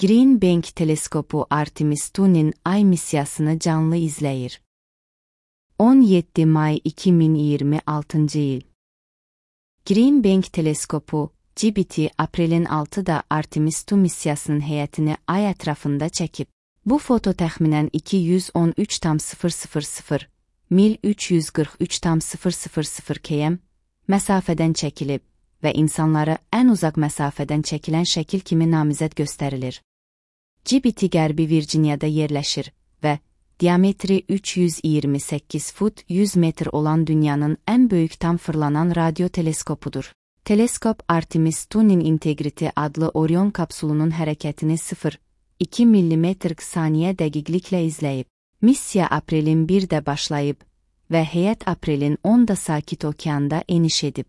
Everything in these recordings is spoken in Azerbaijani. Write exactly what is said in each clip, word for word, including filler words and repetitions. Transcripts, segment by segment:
Green Bank teleskopu Artemis Two'nun Ay missiyasını canlı izləyir. on yeddi may iki min iyirmi altıncı il. Green Bank teleskopu, G B T, aprelin altıda Artemis iki missiyasının heyətini Ay ətrafında çəkib. Bu foto təxminən iki yüz on üç tam sıfır sıfır sıfır mil üç yüz qırx üç tam sıfır sıfır sıfır km məsafədən çəkilib və insanları ən uzaq məsafədən çəkilən şəkil kimi namizəd göstərilir. G B T Qərbi Virginiyada yerləşir və diametri üç yüz iyirmi səkkiz fut yüz metr olan dünyanın ən böyük tam fırlanan radio teleskopudur. Teleskop Artemis Two'nun Integrity adlı Orion kapsulunun hərəkətini sıfır nöqtə iki millimetr saniyə dəqiqliklə izləyib. Missiya aprelin birdə başlayıb və heyət aprelin onda Sakit Okeanda eniş edib.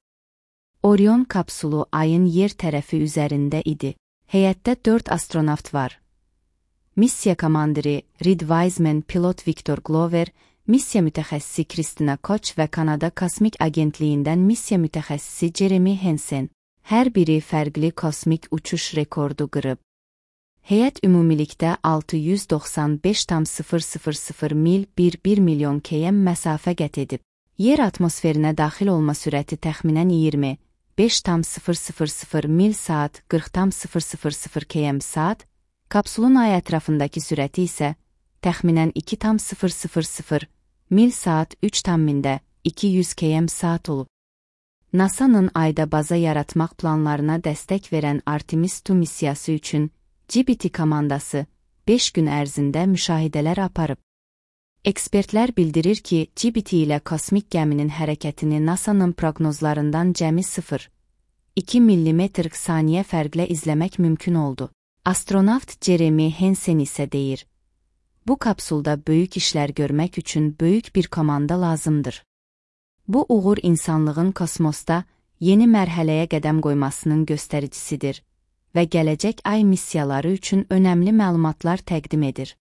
Orion kapsulu Ayın yer tərəfi üzərində idi. Heyətdə dörd astronavt var. Missiya komandiri Reed Wiseman, pilot Victor Glover, missiya mütəxəssisi Kristina Koch və Kanada Kosmik Agentliyindən missiya mütəxəssisi Jeremy Hansen. Hər biri fərqli kosmik uçuş rekordu qırıb. Heyət ümumilikdə altı yüz doxsan beş tam sıfır sıfır sıfır mil bir milyon km məsafə qət edib. Yer atmosferinə daxil olma sürəti təxminən iyirmi beş tam sıfır sıfır sıfır mil saat qırx tam sıfır sıfır sıfır km saat, kapsulun Ay ətrafındakı sürəti isə təxminən iki tam sıfır sıfır sıfır mil saat üç tam mində iki yüz km saat olub. NASA'nın Ayda baza yaratmaq planlarına dəstək verən Artemis iki missiyası üçün G B T komandası beş gün ərzində müşahidələr aparıb. Ekspertlər bildirir ki, G B T ilə kosmik gəminin hərəkətini NASA'nın proqnozlarından cəmi sıfır nöqtə iki millimetr saniyə fərqlə izləmək mümkün oldu. Astronavt Jeremy Hansen isə deyir: Bu kapsulda böyük işlər görmək üçün böyük bir komanda lazımdır. Bu uğur insanlığın kosmosda yeni mərhələyə qədəm qoymasının göstəricisidir və gələcək Ay missiyaları üçün önəmli məlumatlar təqdim edir.